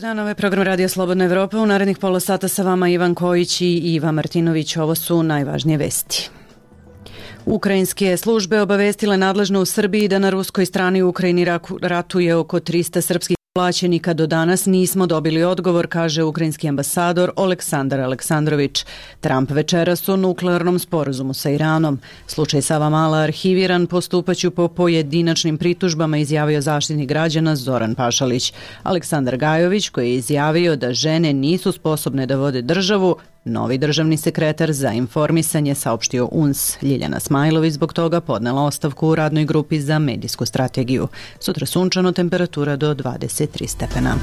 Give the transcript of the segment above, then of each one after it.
Dobar dan, ovo je program Radija Slobodna Evropa. U narednih pola sata sa vama Ivan Kojić i Iva Martinović. Ovo su najvažnije vesti. Ukrajinske službe obavestile nadležno u Srbiji da na ruskoj strani u Ukrajini ratuje oko 300 srpskih plaćenika. Do danas nismo dobili odgovor, kaže ukrajinski ambasador Oleksandar Aleksandrović. Trump večeras o nuklearnom sporazumu sa Iranom. Slučaj Savamala arhiviran, postupaću po pojedinačnim pritužbama, izjavio zaštitnik građana Zoran Pašalić. Aleksandar Gajović, koji je izjavio da žene nisu sposobne da vode državu, novi državni sekretar za informisanje, saopštio UNS. Ljiljana Smajlović zbog toga podnela ostavku u radnoj grupi za medijsku strategiju. Sutra sunčano, temperatura do 23 stepena.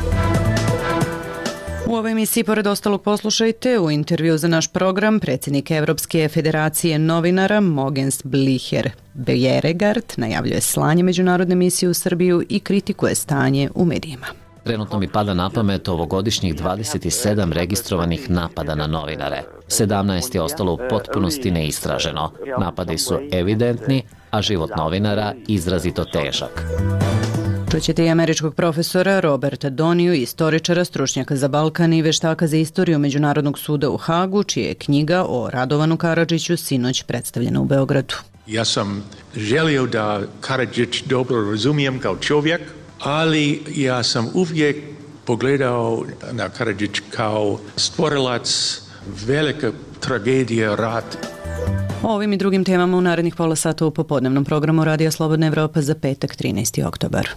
U ovoj emisiji, pored ostalog, poslušajte u intervju za naš program predsjednik Evropske federacije novinara Mogens Blicher Bjerregard najavljuje slanje međunarodne misije u Srbiju i kritikuje stanje u medijima. Trenutno mi pada na pamet ovogodišnjih 27 registrovanih napada na novinare. 17 je ostalo u potpunosti neistraženo. Napadi su evidentni, a život novinara izrazito težak. Čućete i američkog profesora Roberta Doniju, istoričara, stručnjaka za Balkan i veštaka za istoriju Međunarodnog suda u Hagu, čija je knjiga o Radovanu Karadžiću sinoć predstavljena u Beogradu. Ja sam želio da Karadžić dobro razumijem kao čovjek, ali ja sam uvijek pogledao na Karadžić kao stvorilac velike tragedije rata. O ovim i drugim temama u narednih pola sata u popodnevnom programu Radija Slobodna Evropa za petak 13. oktobar.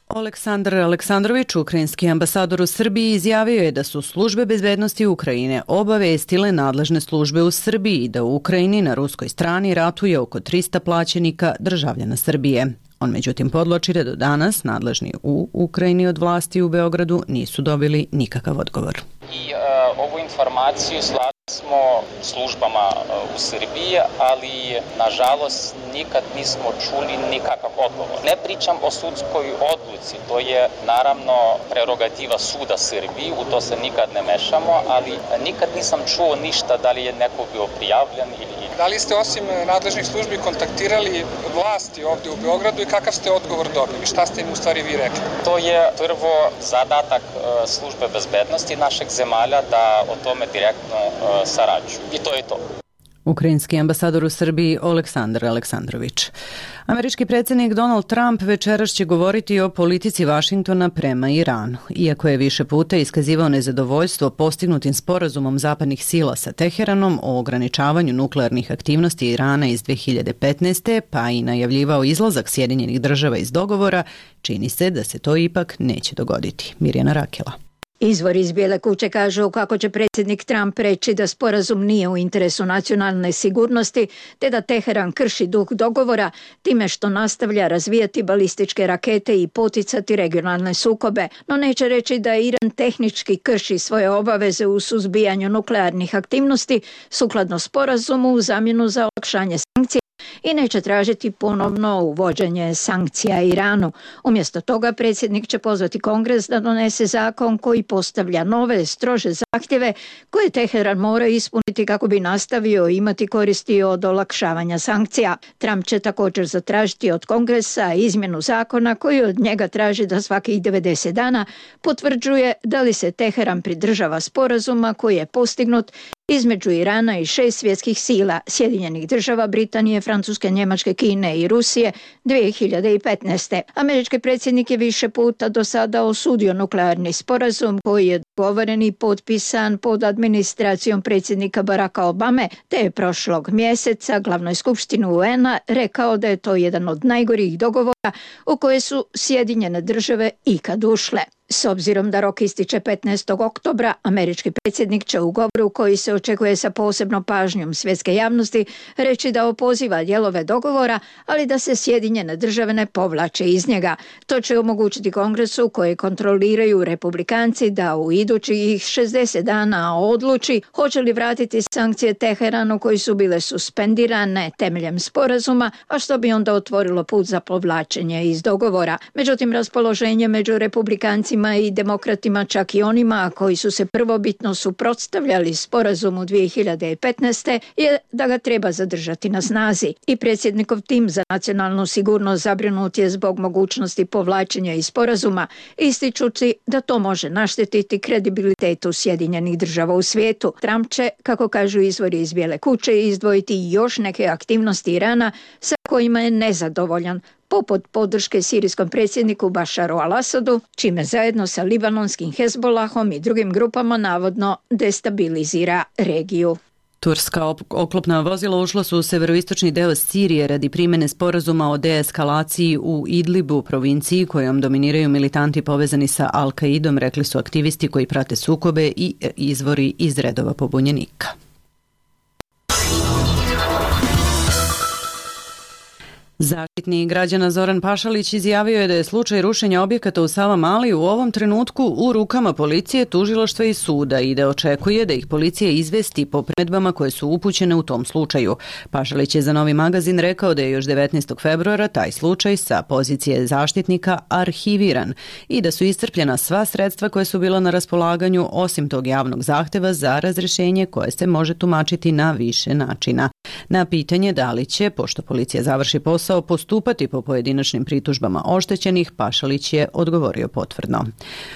Oleksandar Aleksandrović, ukrajinski ambasador u Srbiji, izjavio je da su službe bezbednosti Ukrajine obavestile nadležne službe u Srbiji da u Ukrajini na ruskoj strani ratuje oko 300 plaćenika državljana Srbije. On međutim podvlači da do danas nadležni u Ukrajini od vlasti u Beogradu nisu dobili nikakav odgovor. I ovu informaciju slali smo službama u Srbiji, ali nažalost nikad nismo čuli nikakav odgovor. Ne pričam o sudskoj odluci, to je naravno prerogativa suda Srbiji, u to se nikad ne mešamo, ali nikad nisam čuo ništa da li je neko bio prijavljen ili... Da li ste osim nadležnih službi kontaktirali vlasti ovdje u Beogradu i kakav ste odgovor dobili? Šta ste im u stvari vi rekli? To je prvo zadatak službe bezbednosti našeg zemalja da o tome direktno sarađuju. I to je to. Ukrajinski ambasador u Srbiji Oleksandar Aleksandrović. Američki predsjednik Donald Trump večeras će govoriti o politici Vašingtona prema Iranu. Iako je više puta iskazivao nezadovoljstvo postignutim sporazumom zapadnih sila sa Teheranom o ograničavanju nuklearnih aktivnosti Irana iz 2015. pa i najavljivao izlazak Sjedinjenih država iz dogovora, čini se da se to ipak neće dogoditi. Mirjana Rakela. Izvor iz Bijele kuće kažu kako će predsjednik Trump reći da sporazum nije u interesu nacionalne sigurnosti, te da Teheran krši duh dogovora time što nastavlja razvijati balističke rakete i poticati regionalne sukobe, no neće reći da Iran tehnički krši svoje obaveze u suzbijanju nuklearnih aktivnosti sukladno sporazumu u zamjenu za olakšanje sankcija i neće tražiti ponovno uvođenje sankcija Iranu. Umjesto toga predsjednik će pozvati Kongres da donese zakon koji postavlja nove, strože zahtjeve koje Teheran mora ispuniti kako bi nastavio imati koristi od olakšavanja sankcija. Trump će također zatražiti od Kongresa izmjenu zakona koji od njega traži da svakih 90 dana potvrđuje da li se Teheran pridržava sporazuma koji je postignut između Irana i 6 svjetskih sila, Sjedinjenih država, Britanije, Francuske, Njemačke, Kine i Rusije 2015. Američki predsjednik je više puta do sada osudio nuklearni sporazum koji je dogovoren i potpisan pod administracijom predsjednika Baracka Obame, te je prošlog mjeseca glavnoj skupštini UN-a rekao da je to jedan od najgorih dogovora u koje su Sjedinjene države ikad ušle. S obzirom da rok ističe 15. oktobra, američki predsjednik će u govoru koji se očekuje sa posebnom pažnjom svjetske javnosti reći da opoziva dijelove dogovora, ali da se Sjedinjene države ne povlače iz njega. To će omogućiti Kongresu koji kontroliraju Republikanci da u idućih 60 dana odluči hoće li vratiti sankcije Teheranu koji su bile suspendirane temeljem sporazuma, a što bi onda otvorilo put za povlačenje iz dogovora. Međutim, raspoloženje među Republikancima pučanima i demokratima, čak i onima koji su se prvobitno suprotstavljali sporazumu 2015. je da ga treba zadržati na snazi. I predsjednikov tim za nacionalnu sigurnost zabrinut je zbog mogućnosti povlačenja iz sporazuma, ističući da to može naštetiti kredibilitetu Sjedinjenih država u svijetu. Trump će, kako kažu izvori iz Bijele kuće, izdvojiti još neke aktivnosti Irana sa kojima je nezadovoljan, poput podrške sirijskom predsjedniku Bašaru al-Asadu, čime zajedno sa libanonskim Hezbolahom i drugim grupama navodno destabilizira regiju. Turska oklopna vozila ušla su u severoistočni deo Sirije radi primjene sporazuma o deeskalaciji u Idlibu, provinciji kojom dominiraju militanti povezani sa Al-Qaidom, rekli su aktivisti koji prate sukobe i izvori iz redova pobunjenika. Zaštitnik građana Zoran Pašalić izjavio je da je slučaj rušenja objekata u Savamali u ovom trenutku u rukama policije, tužilaštva i suda i da očekuje da ih policija izvesti po primedbama koje su upućene u tom slučaju. Pašalić je za Novi magazin rekao da je još 19. februara taj slučaj sa pozicije zaštitnika arhiviran i da su iscrpljena sva sredstva koje su bila na raspolaganju osim tog javnog zahteva za razrešenje koje se može tumačiti na više načina. Na pitanje da li će, pošto policija završi posao, postupati po pojedinačnim pritužbama oštećenih, Pašalić je odgovorio potvrdno.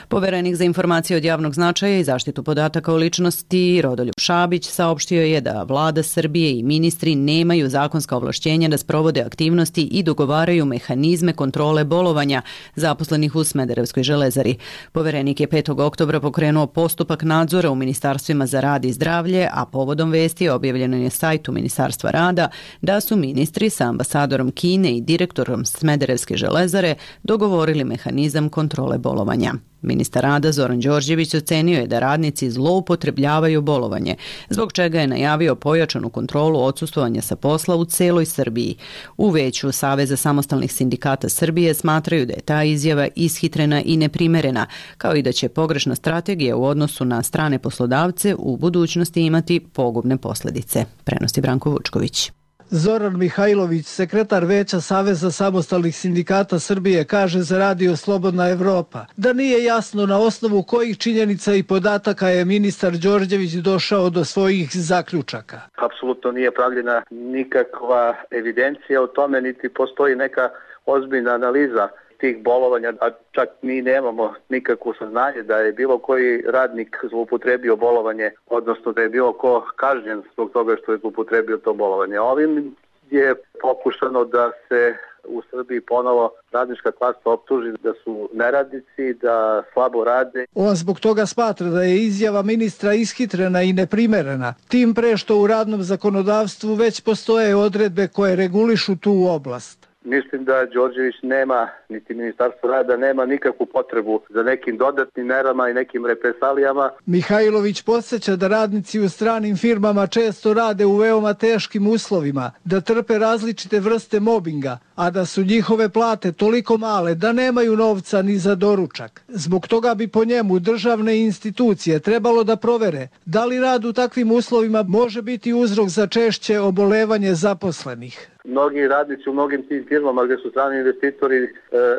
Poverenik za informacije od javnog značaja i zaštitu podataka o ličnosti Rodoljub Šabić saopštio je da vlada Srbije i ministri nemaju zakonska ovlašćenja da sprovode aktivnosti i dogovaraju mehanizme kontrole bolovanja zaposlenih u Smederevskoj železari. Poverenik je 5. oktobra pokrenuo postupak nadzora u ministarstvima za rad i zdravlje, a povodom vesti objavljeno je na sajtu Ministarstva rada da su ministri sa ambasadorom Kine i direktorom Smederevske železare dogovorili mehanizam kontrole bolovanja. Ministar rada Zoran Đorđević ocenio je da radnici zloupotrebljavaju bolovanje, zbog čega je najavio pojačanu kontrolu odsustvovanja sa posla u celoj Srbiji. U veću Saveza samostalnih sindikata Srbije smatraju da je ta izjava ishitrena i neprimerena, kao i da će pogrešna strategija u odnosu na strane poslodavce u budućnosti imati pogubne posljedice, prenosi Branko Vučković. Zoran Mihajlović, sekretar Veća Saveza samostalnih sindikata Srbije, kaže za Radio Slobodna Evropa da nije jasno na osnovu kojih činjenica i podataka je ministar Đorđević došao do svojih zaključaka. Apsolutno nije pravljena nikakva evidencija o tome, niti postoji neka ozbiljna analiza tih bolovanja, a čak mi nemamo nikakvo saznanje da je bilo koji radnik zloupotrebio bolovanje, odnosno da je bilo ko kažnjen zbog toga što je zloupotrebio to bolovanje. Ovim je pokušano da se u Srbiji ponovo radnička klasa optuži da su neradnici, da slabo rade. On zbog toga smatra da je izjava ministra ishitrena i neprimerena, tim pre što u radnom zakonodavstvu već postoje odredbe koje regulišu tu oblast. Mislim da Đorđević nema, niti Ministarstvo rada nema nikakvu potrebu za nekim dodatnim merama i nekim represalijama. Mihajlović podsjeća da radnici u stranim firmama često rade u veoma teškim uslovima, da trpe različite vrste mobinga, a da su njihove plate toliko male da nemaju novca ni za doručak. Zbog toga bi po njemu državne institucije trebalo da provere da li rad u takvim uslovima može biti uzrok za češće obolevanje zaposlenih. Mnogi radnici u mnogim tim firmama gdje su strani investitori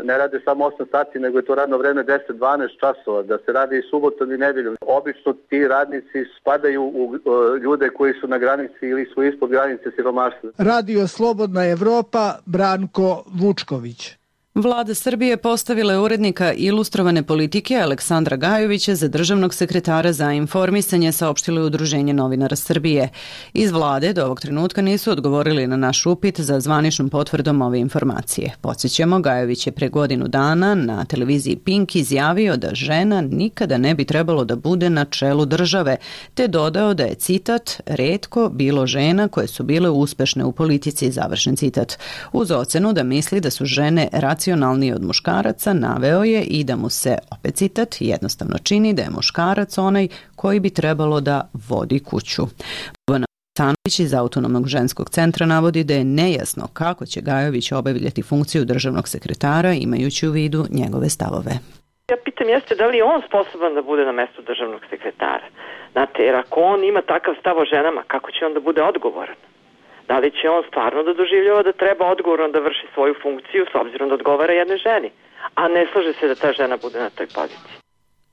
ne rade samo 8 sati, nego je to radno vreme 10-12 časova, da se radi i subotom i nedeljom. Obično ti radnici spadaju u ljude koji su na granici ili su ispod granice siromaštva. Radio Slobodna Evropa, Branko Vučković. Vlada Srbije postavila je urednika Ilustrovane politike Aleksandra Gajovića za državnog sekretara za informisanje, saopštilo je Udruženje novinara Srbije. Iz vlade do ovog trenutka nisu odgovorili na naš upit za zvaničnom potvrdom ove informacije. Podsjećamo, Gajović je pre godinu dana na televiziji Pink izjavio da žena nikada ne bi trebalo da bude na čelu države, te dodao da je, citat, retko bilo žena koje su bile uspešne u politici, završen citat. Uz ocenu da misli da su žene racionalniji od muškaraca, naveo je i da mu se, opet citat, jednostavno čini da je muškarac onaj koji bi trebalo da vodi kuću. Bojana Stanović iz Autonomnog ženskog centra navodi da je nejasno kako će Gajović obavljati funkciju državnog sekretara imajući u vidu njegove stavove. Ja pitam jeste da li je on sposoban da bude na mestu državnog sekretara. Znate, jer ako on ima takav stav o ženama, kako će on da bude odgovoran? Da li će on stvarno da doživljava da treba odgovorno da vrši svoju funkciju s obzirom da odgovara jednoj ženi, a ne slaže se da ta žena bude na toj poziciji?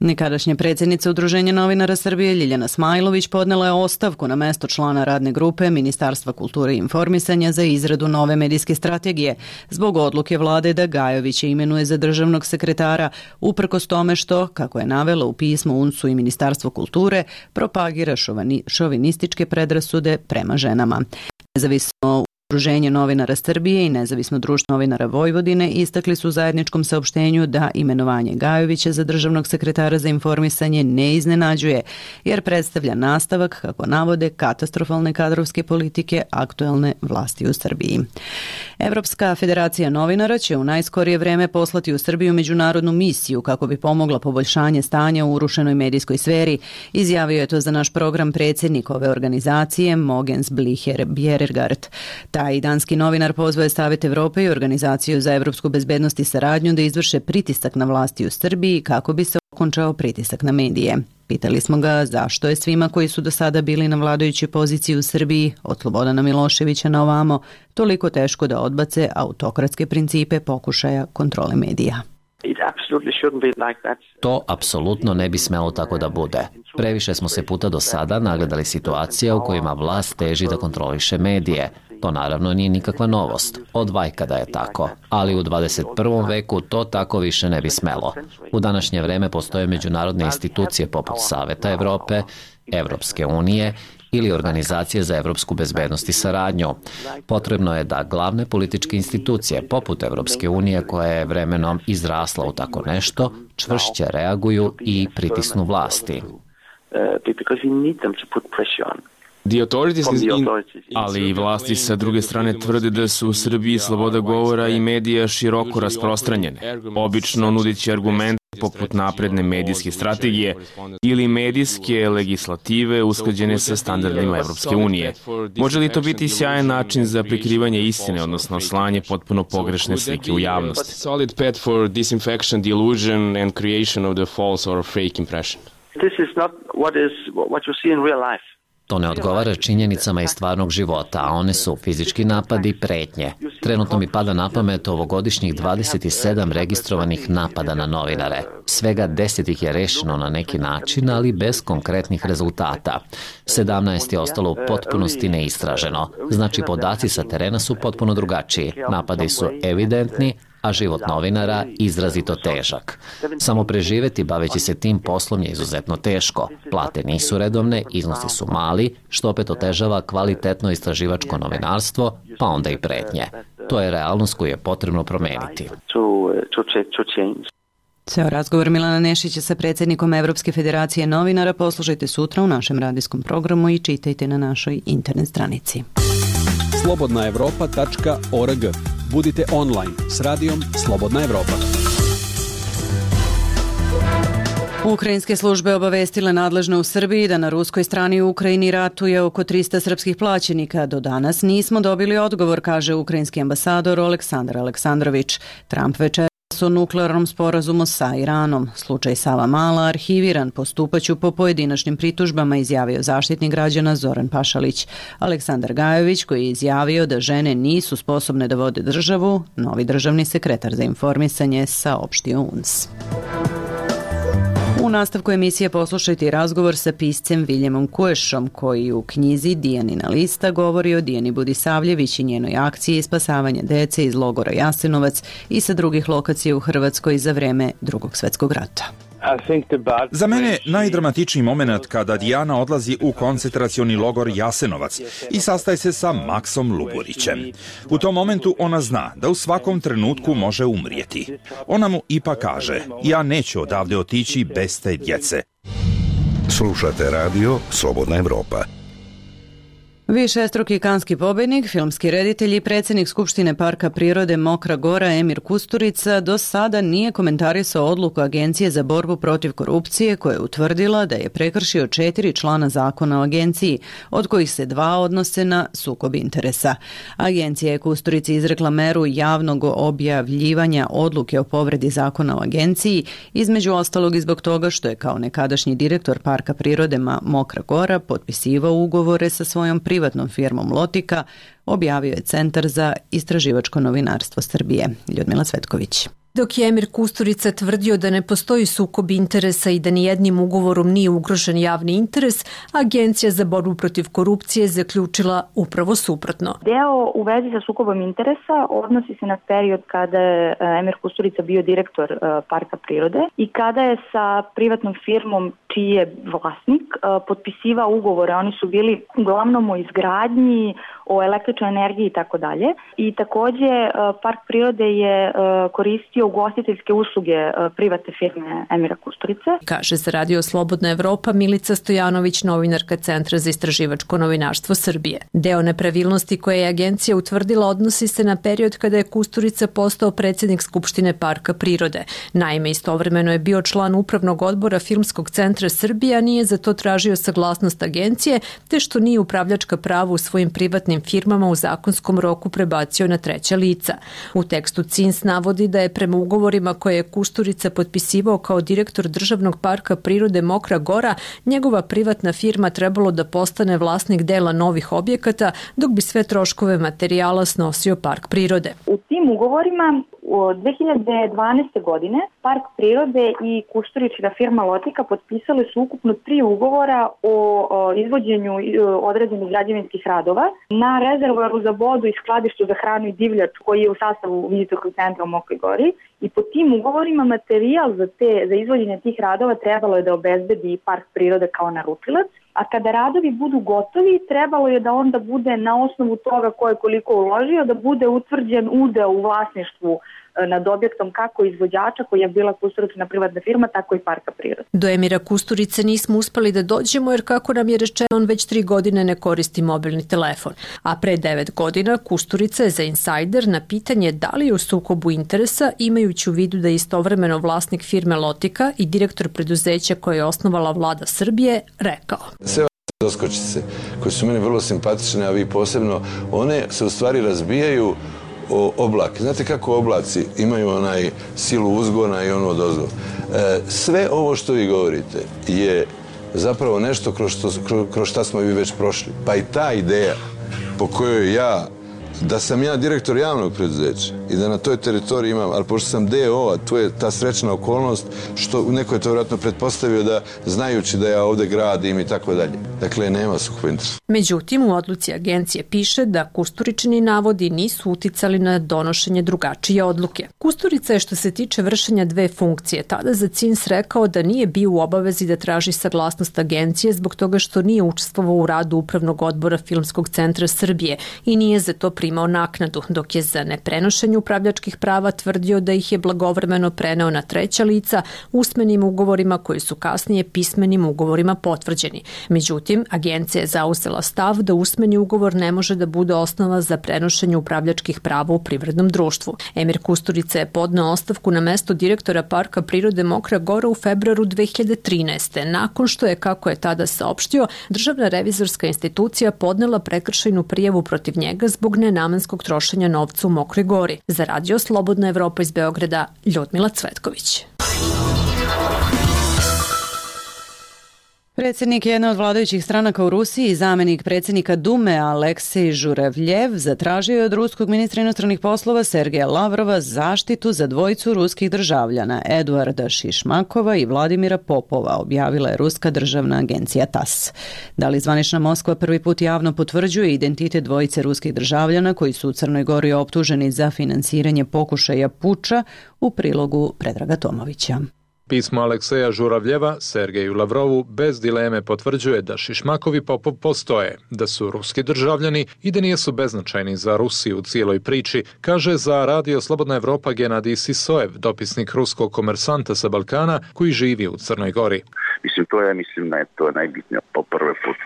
Nekadašnja predsjednica Udruženja novinara Srbije Ljiljana Smajlović podnela je ostavku na mesto člana radne grupe Ministarstva kulture i informisanja za izradu nove medijske strategije zbog odluke vlade da Gajovića imenuje za državnog sekretara uprkos tome što, kako je navela u pismu UNS-u i Ministarstvo kulture, propagira šovinističke predrasude prema ženama. Nezavisno Udruženje novinara Srbije i Nezavisno društvo novinara Vojvodine istakli su u zajedničkom saopštenju da imenovanje Gajovića za državnog sekretara za informisanje ne iznenađuje, jer predstavlja nastavak, kako navode, katastrofalne kadrovske politike aktuelne vlasti u Srbiji. Evropska federacija novinara će u najskorije vreme poslati u Srbiju međunarodnu misiju kako bi pomogla poboljšanje stanja u urušenoj medijskoj sferi. Izjavio je to za naš program predsjednik ove organizacije Mogens Bjerregaard. Taj danski novinar pozvao je Savet Evrope i Organizaciju za evropsku bezbednost i saradnju da izvrše pritisak na vlasti u Srbiji kako bi se okončao pritisak na medije. Pitali smo ga zašto je svima koji su do sada bili na vladajućoj poziciji u Srbiji, od Slobodana Miloševića na ovamo, toliko teško da odbace autokratske principe pokušaja kontrole medija. To apsolutno ne bi smelo tako da bude. Previše smo se puta do sada nagledali situacija u kojima vlast teži da kontroliše medije. To naravno nije nikakva novost, od vajka da je tako, ali u 21. veku to tako više ne bi smelo. U današnje vreme postoje međunarodne institucije poput Saveta Evrope, Evropske unije ili Organizacije za evropsku bezbednost i saradnju. Potrebno je da glavne političke institucije poput Evropske unije, koja je vremenom izrasla u tako nešto, čvršće reaguju i pritisnu vlasti. Ali i vlasti sa druge strane tvrde da su u Srbiji sloboda govora i medija široko rasprostranjene, obično nudići argumente poput napredne medijske strategije ili medijske legislative usklađene sa standardima Evropske unije. Može li to biti sjajan način za prikrivanje istine, odnosno slanje potpuno pogrešne slike u javnost? To ne odgovara činjenicama iz stvarnog života, a one su fizički napadi i pretnje. Trenutno mi pada na pamet ovogodišnjih 27 registrovanih napada na novinare. Svega 10 ih je rešeno na neki način, ali bez konkretnih rezultata. 17 je ostalo u potpunosti neistraženo. Znači, podaci sa terena su potpuno drugačiji. Napadi su evidentni, a život novinara izrazito težak. Samo preživeti baveći se tim poslom je izuzetno teško. Plate nisu redovne, iznosi su mali, što opet otežava kvalitetno istraživačko novinarstvo, pa onda i pretnje. To je realnost koju je potrebno promeniti. Ceo razgovor Milana Nešića sa predsjednikom Evropske federacije novinara poslušajte sutra u našem radijskom programu i čitajte na našoj internet stranici. slobodnaevropa.org. Budite online s radijom Slobodna Evropa. Ukrajinske službe obavestile nadležne u Srbiji da na ruskoj strani u Ukrajini ratuje oko 300 srpskih plaćenika. Do danas nismo dobili odgovor, kaže ukrajinski ambasador Aleksandar Aleksandrović. Trump večeras o nuklearnom sporazumu sa Iranom. Slučaj Savamala arhiviran, postupaću po pojedinačnim pritužbama, izjavio zaštitnik građana Zoran Pašalić. Aleksandar Gajović, koji je izjavio da žene nisu sposobne da vode državu, novi državni sekretar za informisanje, saopštio UNS. U nastavku emisije poslušajte razgovor sa piscem Viljemom Kuešom, koji u knjizi Dijanina lista govori o Dijani Budisavljević i njenoj akciji spasavanja dece iz logora Jasenovac i sa drugih lokacija u Hrvatskoj za vreme Drugog svjetskog rata. Za mene najdramatičniji moment kada Dijana odlazi u koncentracioni logor Jasenovac i sastaje se sa Maksom Luburićem. U tom momentu ona zna da u svakom trenutku može umrijeti. Ona mu ipak kaže: ja neću odavde otići bez te djece. Slušate radio Slobodna Evropa. Višestruki kanski pobednik, filmski reditelj i predsjednik Skupštine Parka prirode Mokra Gora Emir Kusturica do sada nije komentarisao odluku Agencije za borbu protiv korupcije koja je utvrdila da je prekršio 4 člana zakona o agenciji, od kojih se 2 odnose na sukob interesa. Agencija je Kusturici izrekla meru javnog objavljivanja odluke o povredi zakona o agenciji, između ostalog i zbog toga što je kao nekadašnji direktor Parka prirode Mokra Gora potpisivao ugovore sa svojom privatnom firmom Lotika, objavio je Centar za istraživačko novinarstvo Srbije. Ljudmila Cvetković. Dok je Emir Kusturica tvrdio da ne postoji sukob interesa i da nijednim ugovorom nije ugrožen javni interes, Agencija za borbu protiv korupcije zaključila upravo suprotno. Deo u vezi sa sukobom interesa odnosi se na period kada je Emir Kusturica bio direktor parka prirode i kada je sa privatnom firmom čiji je vlasnik potpisivao ugovore. Oni su bili uglavnom o izgradnji, o električnoj energiji i tako dalje. I takođe park prirode je koristio ugostiteljske usluge privatne firme Emira Kusturice. Kaže za Radio Slobodna Evropa Milica Stojanović, novinarka Centra za istraživačko novinarstvo Srbije. Deo nepravilnosti koje je agencija utvrdila odnosi se na period kada je Kusturica postao predsjednik Skupštine parka prirode. Naime, istovremeno je bio član upravnog odbora Filmskog centra Srbije, a nije za to tražio saglasnost agencije, te što nije upravljačka prava u svojim privatnim firmama u zakonskom roku prebacio na treća lica. U tekstu CINS navodi da je prema ugovorima koje je Kusturica potpisivao kao direktor državnog parka prirode Mokra Gora, njegova privatna firma trebalo da postane vlasnik dela novih objekata, dok bi sve troškove materijala snosio park prirode. U tim ugovorima od 2012. godine park prirode i Kusturičina firma Lotika potpisali su ukupno 3 ugovora o izvođenju određenih građevinskih radova na rezervoaru za vodu i skladištu za hranu i divljač koji je u sastavu vizitorskog centra u Mokroj Gori. I po tim ugovorima materijal za izvođenje tih radova trebalo je da obezbedi park prirode kao naručilac, a kada radovi budu gotovi, trebalo je da onda bude na osnovu toga ko je koliko uložio, da bude utvrđen udeo u vlasništvu nad objektom kako izvođača koji je bila Kusturičina privatna firma, tako i parka prirode. Do Emira Kusturice nismo uspeli da dođemo jer, kako nam je rečeno, on već 3 godine ne koristi mobilni telefon. A pre 9 godina Kusturica je za Insider na pitanje da li je u sukobu interesa, imajući u vidu da je istovremeno vlasnik firme Lotika i direktor preduzeća koje je osnovala vlada Srbije, rekao: Sve doskočice koje su meni vrlo simpatične, a vi posebno, one se u stvari razbijaju o oblak. Znate kako oblaci imaju onaj silu uzgona i ono odozgo. Sve ovo što vi govorite je zapravo nešto kroz šta smo vi već prošli. Pa i ta ideja po kojoj da sam ja direktor javnog preduzeća i da na toj teritoriji imam, ali pošto sam DO, a tu je ta srećna okolnost, što neko je to vjerojatno pretpostavio da znajući da ja ovde gradim i tako dalje. Dakle, nema sukoba interesa. Međutim, u odluci agencije piše da Kusturičini navodi nisu uticali na donošenje drugačije odluke. Kusturica je, što se tiče vršenja 2 funkcije, tada za CINS rekao da nije bio u obavezi da traži saglasnost agencije zbog toga što nije učestvovao u radu upravnog odbora Filmskog centra Srbije i nije za to primao naknadu, dok je za neprenošenje upravljačkih prava tvrdio da ih je blagovremeno preneo na treća lica usmenim ugovorima koji su kasnije pismenim ugovorima potvrđeni. Međutim, agencija je zauzela stav da usmeni ugovor ne može da bude osnova za prenošenje upravljačkih prava u privrednom društvu. Emir Kusturica je podneo ostavku na mesto direktora parka prirode Mokra Gora u februaru 2013. nakon što je, kako je tada saopštio, Državna revizorska institucija podnela prekršajnu prijavu protiv njega zbog nenamenskog trošenja novca u Mokroj Gori. Za Radio Slobodna Evropa iz Beograda, Ljudmila Cvetković. Predsjednik jedne od vladajućih stranaka u Rusiji i zamjenik predsjednika Dume Aleksej Žuravljev zatražio je od ruskog ministra inostranih poslova Sergeja Lavrova zaštitu za dvojicu ruskih državljana, Eduarda Šišmakova i Vladimira Popova, objavila je ruska državna agencija TASS. Da li zvanična Moskva prvi put javno potvrđuje identitet dvojice ruskih državljana koji su u Crnoj Gori optuženi za finansiranje pokušaja puča, u prilogu Predraga Tomovića. Pismo Alekseja Žuravljeva Sergeju Lavrovu bez dileme potvrđuje da Šišmakovi Popov postoje, da su ruski državljani i da nisu beznačajni za Rusiju u cijeloj priči, kaže za Radio Slobodna Evropa Genadij Sisojev, dopisnik ruskog komersanta sa Balkana koji živi u Crnoj Gori. Mislim da je to najbitnije po prvi put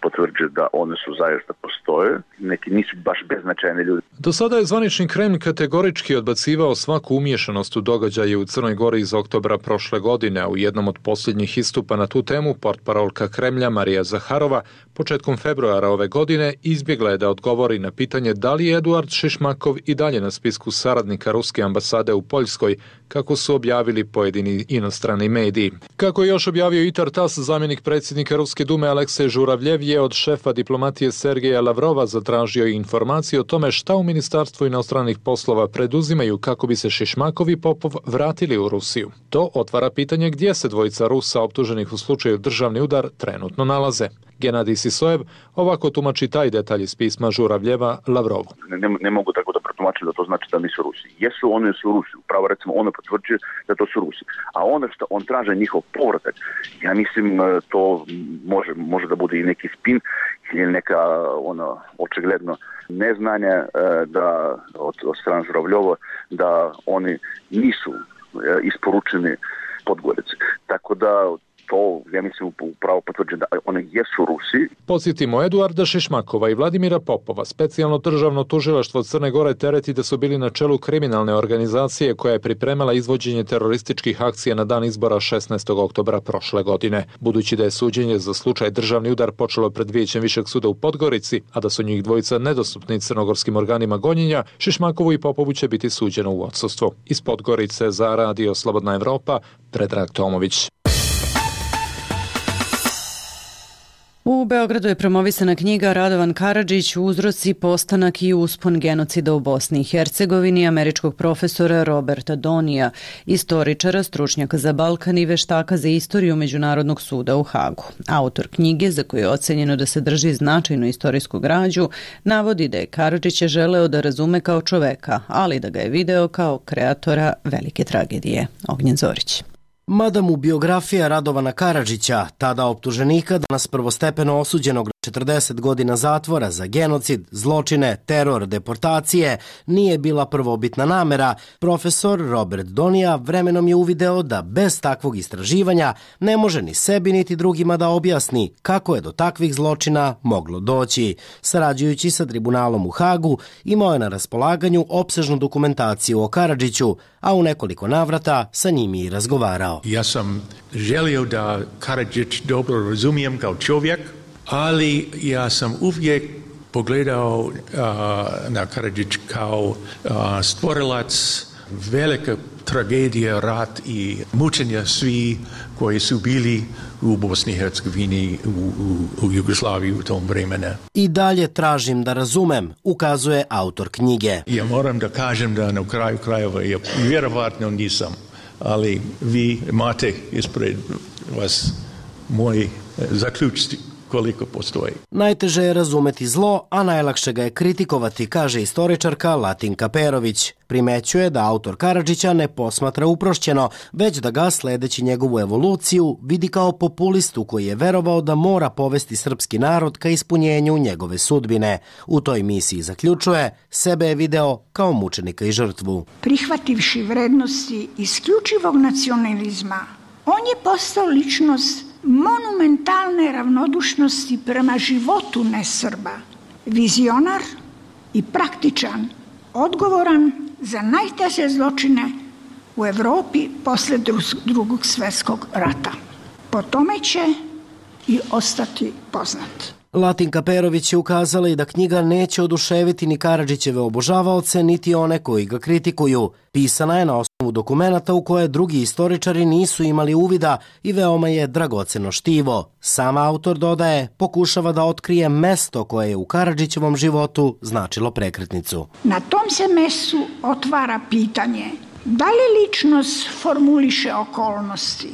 potvrđuje da one su zaista postoje, neki nisu baš beznačajni ljudi. Do sada je zvanični Kremlj kategorički odbacivao svaku umiješanost u događaje u Crnoj Gori iz oktobra prošle godine. U jednom od posljednjih istupa na tu temu portparolka Kremlja Marija Zaharova početkom februara ove godine izbjegla je da odgovori na pitanje da li je Eduard Šišmakov i dalje na spisku saradnika ruske ambasade u Poljskoj, kako su objavili pojedini inostrani mediji. Kako je još objavio Itar TASS, zamjenik predsjednika Ruske dume Aleksej Žuravljev Žuravljev je od šefa diplomatije Sergeja Lavrova zatražio informaciju o tome šta u Ministarstvu inostranih poslova preduzimaju kako bi se Šišmakov i Popov vratili u Rusiju. To otvara pitanje gdje se dvojica Rusa optuženih u slučaju državni udar trenutno nalaze. Genadij Sisojev ovako tumači taj detalj iz pisma Žuravljeva Lavrovu. Ne mogu tako da protumačim da to znači da nisu Rusi. Jesu, oni su Rusi. Upravo recimo ono potvrđuje da to su Rusi. A ono što on traže njihov povratak, ja mislim to može da bude i neki spin ili neka očigledno neznanje da od strane Žuravljova da oni nisu isporučeni Podgorici. Tako da to, ja mislim, upravo potvrđuje da one jesu Rusi. Podsjetimo, Eduarda Šišmakova i Vladimira Popova specijalno državno tužilaštvo Crne Gore tereti da su bili na čelu kriminalne organizacije koja je pripremala izvođenje terorističkih akcija na dan izbora 16. oktobra prošle godine. Budući da je suđenje za slučaj državni udar počelo pred Vijećem Višeg suda u Podgorici, a da su njih dvojica nedostupni crnogorskim organima gonjenja, Šišmakovu i Popovu će biti suđeno u odsustvu. Iz Podgorice za Radio Slobodna Evropa, Predrag Tomović. U Beogradu je promovisana knjiga Radovan Karadžić, uzroci, postanak i uspon genocida u Bosni i Hercegovini američkog profesora Roberta Donija, istoričara, stručnjaka za Balkan i veštaka za istoriju Međunarodnog suda u Hagu. Autor knjige, za koju je ocenjeno da sadrži značajnu istorijsku građu, navodi da je Karadžića želeo da razume kao čoveka, ali da ga je video kao kreatora velike tragedije. Ognjen Zorić. Mada mu biografija Radovana Karadžića, tada optuženika, danas prvostepeno osuđenog na 40 godina zatvora za genocid, zločine, teror, deportacije, nije bila prvobitna namera, profesor Robert Donija vremenom je uvideo da bez takvog istraživanja ne može ni sebi niti drugima da objasni kako je do takvih zločina moglo doći. Sarađujući sa tribunalom u Hagu, imao je na raspolaganju opsežnu dokumentaciju o Karadžiću, a u nekoliko navrata sa njim i razgovarao. Ja sam želio da Karadžić dobro razumijem kao čovjek, ali ja sam uvijek pogledao na Karadžić kao stvorilac velike tragedije, rat i mučenja svi koji su bili u Bosni i Hercegovini, u Jugoslaviji u tom vremenu. I dalje tražim da razumem, ukazuje autor knjige. Ja moram da kažem da na kraju krajeva ja vjerovatno nisam, ali vi imate ispred vas moji zaključci koliko postoji. Najteže je razumeti zlo, a najlakše ga je kritikovati, kaže istoričarka Latinka Perović. Primećuje da autor Karadžića ne posmatra uprošćeno, već da ga, sledeći njegovu evoluciju, vidi kao populistu koji je verovao da mora povesti srpski narod ka ispunjenju njegove sudbine. U toj misiji, zaključuje, sebe je video kao mučenika i žrtvu. Prihvativši vrednosti isključivog nacionalizma, on je postao ličnost monumentalne ravnodušnosti prema životu nesrba, vizionar i praktičan, odgovoran za najteže zločine u Evropi posle Drugog svjetskog rata. Po tome će i ostati poznat. Latinka Perović je ukazala i da knjiga neće oduševiti ni Karadžićeve obožavaoce, niti one koji ga kritikuju. Pisana je na osnovu dokumenata u koje drugi istoričari nisu imali uvida i veoma je dragoceno štivo. Sam autor, dodaje, pokušava da otkrije mesto koje je u Karadžićevom životu značilo prekretnicu. Na tom se mestu otvara pitanje da li ličnost formuliše okolnosti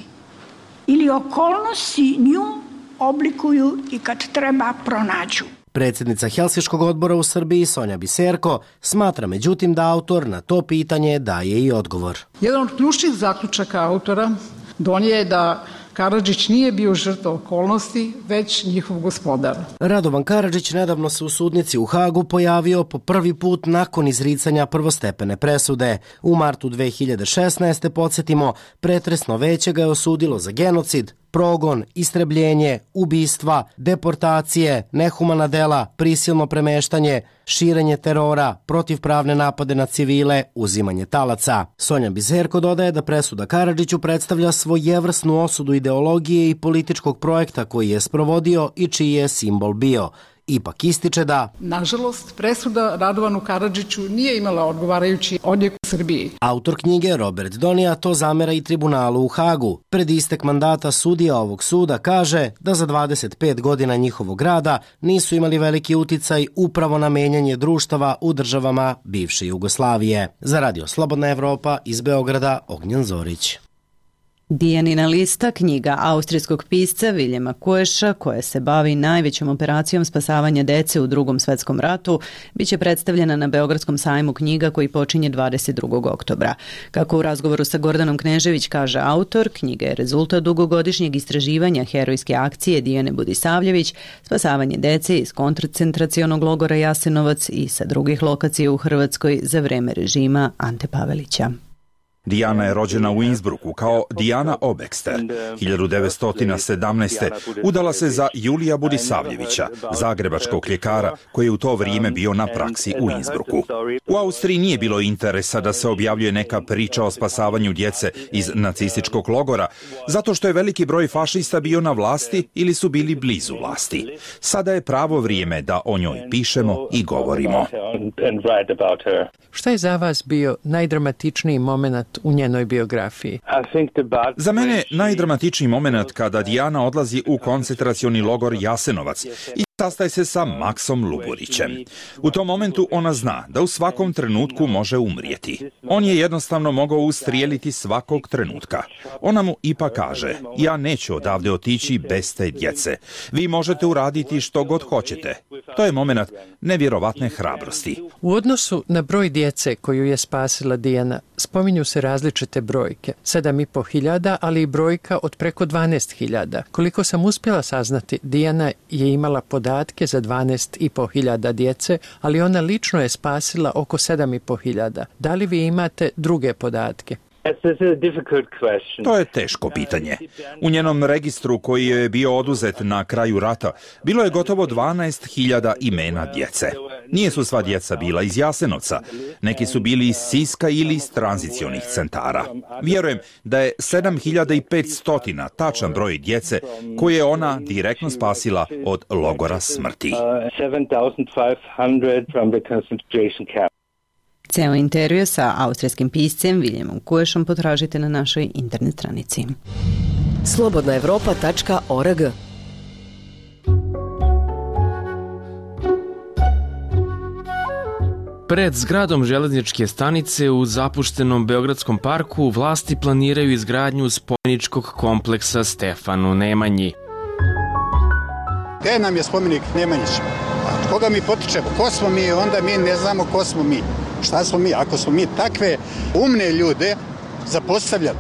ili okolnosti nju oblikuju i kad treba pronađu. Predsjednica Helsinškog odbora u Srbiji Sonja Biserko smatra međutim da autor na to pitanje daje i odgovor. Jedan od ključnih zaključaka autora Donije je da Karadžić nije bio žrtva okolnosti, već njihov gospodar. Radovan Karadžić nedavno se u sudnici u Hagu pojavio po prvi put nakon izricanja prvostepene presude. U martu 2016. podsjetimo, pretresno veće ga je osudilo za genocid, progon, istrebljenje, ubistva, deportacije, nehumana dela, prisilno premeštanje, širenje terora, protivpravne napade na civile, uzimanje talaca. Sonja Bizerko dodaje da presuda Karadžiću predstavlja svojevrsnu osudu ideologije i političkog projekta koji je sprovodio i čiji je simbol bio. ipak ističe da nažalost presuda Radovanu Karadžiću nije imala odgovarajući odjek u Srbiji. Autor knjige Robert Donija to zamera i tribunalu u Hagu. Pred istek mandata sudija ovog suda kaže da za 25 godina njihovog rada nisu imali veliki uticaj upravo na menjanje društava u državama bivše Jugoslavije. Za Radio Slobodna Evropa iz Beograda, Ognjen Zorić. Dijanina lista, knjiga austrijskog pisca Viljema Kueša, koja se bavi najvećom operacijom spasavanja dece u Drugom svetskom ratu, biće predstavljena na Beogradskom sajmu knjiga koji počinje 22. oktobra. Kako u razgovoru sa Gordanom Knežević kaže autor, knjiga je rezultat dugogodišnjeg istraživanja herojske akcije Dijane Budisavljević, spasavanje dece iz koncentracionog logora Jasenovac i sa drugih lokacija u Hrvatskoj za vreme režima Ante Pavelića. Dijana je rođena u Innsbrucku kao Dijana Obekster. 1917. udala se za Julija Budisavljevića, zagrebačkog ljekara koji je u to vrijeme bio na praksi u Innsbrucku. U Austriji nije bilo interesa da se objavljuje neka priča o spasavanju djece iz nacističkog logora, zato što je veliki broj fašista bio na vlasti ili su bili blizu vlasti. Sada je pravo vrijeme da o njoj pišemo i govorimo. Šta je za vas bio najdramatičniji moment u njenoj biografiji? Za mene najdramatičniji moment kada Dijana odlazi u koncentracioni logor Jasenovac i sastaje se sa Maksom Luburićem. U tom momentu ona zna da u svakom trenutku može umrijeti. On je jednostavno mogao ustrijeliti svakog trenutka. Ona mu ipak kaže, ja neću odavde otići bez te djece. Vi možete uraditi što god hoćete. To je moment nevjerovatne hrabrosti. U odnosu na broj djece koju je spasila Dijana, spominju se različite brojke. 7.500, ali i brojka od preko 12.000. Koliko sam uspjela saznati, Dijana je imala podatke za 12.500 djece, ali ona lično je spasila oko 7.500. Da li vi imate druge podatke? To je teško pitanje. U njenom registru koji je bio oduzet na kraju rata bilo je gotovo 12.000 imena djece. Nije su sva djeca bila iz Jasenovca. Neki su bili iz Siska ili iz tranzicionih centara. Vjerujem da je 7.500 tačan broj djece koje je ona direktno spasila od logora smrti. Ceo intervju sa austrijskim piscem Viljemom Kuešom potražite na našoj internet stranici. slobodnaevropa.org. Pred zgradom železničke stanice u zapuštenom Beogradskom parku vlasti planiraju izgradnju spomeničkog kompleksa Stefanu Nemanji. Gde nam je spomenik Nemanjiću? Od koga mi potičemo? Ko smo mi? Onda mi ne znamo ko smo mi. Šta smo mi? Ako smo mi takve umne ljude zapostavljali.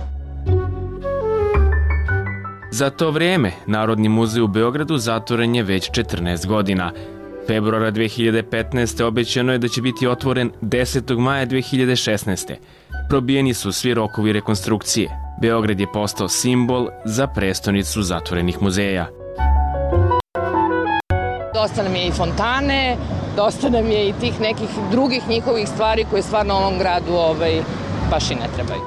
Za to vrijeme Narodni muzej u Beogradu zatvoren je već 14 godina. Februara 2015. obećano je da će biti otvoren 10. maja 2016. Probijeni su svi rokovi rekonstrukcije. Beograd je postao simbol za prestonicu zatvorenih muzeja. Dosta nam je i fontane, dosta nam je i tih nekih drugih njihovih stvari koje stvarno ovom gradu baš i ne trebaju.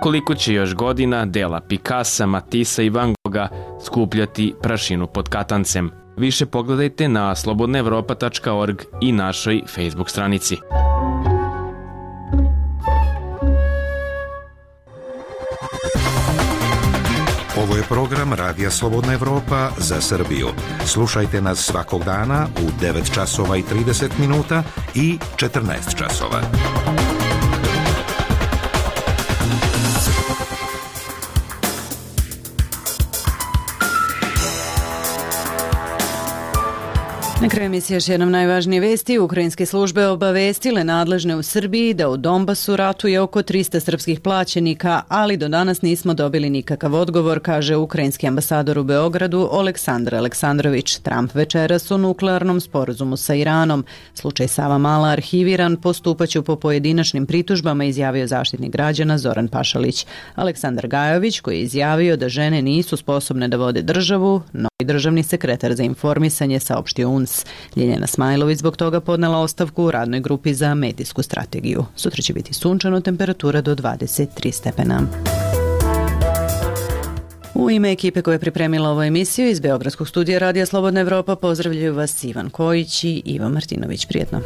Koliko će još godina dela Picassa, Matissa i Van Gogha skupljati prašinu pod katancem? Više pogledajte na slobodnaevropa.org i našoj Facebook stranici. Ovo je program Radija Slobodna Evropa za Srbiju. Slušajte nas svakog dana u 9 časova i 30 minuta i 14 časova. Na kraju emisije još jednom najvažnije vesti. Ukrajinske službe obavestile nadležne u Srbiji da u Donbasu ratuje oko 300 srpskih plaćenika, ali do danas nismo dobili nikakav odgovor, kaže ukrajinski ambasador u Beogradu Oleksandar Aleksandrović. Trump večeras o nuklearnom sporazumu sa Iranom. Slučaj Savamala arhiviran, postupaću po pojedinačnim pritužbama, izjavio zaštitnik građana Zoran Pašalić. Aleksandar Gajović, koji je izjavio da žene nisu sposobne da vode državu, novi državni sekretar za informisanje, saopštio UNS. Ljiljana Smajlović zbog toga podnela ostavku u radnoj grupi za medijsku strategiju. Sutra će biti sunčano, temperatura do 23 stepena. U ime ekipe koja je pripremila ovu emisiju iz Beogradskog studija Radija Slobodna Evropa pozdravljaju vas Ivan Kojić i Iva Martinović. Prijetno.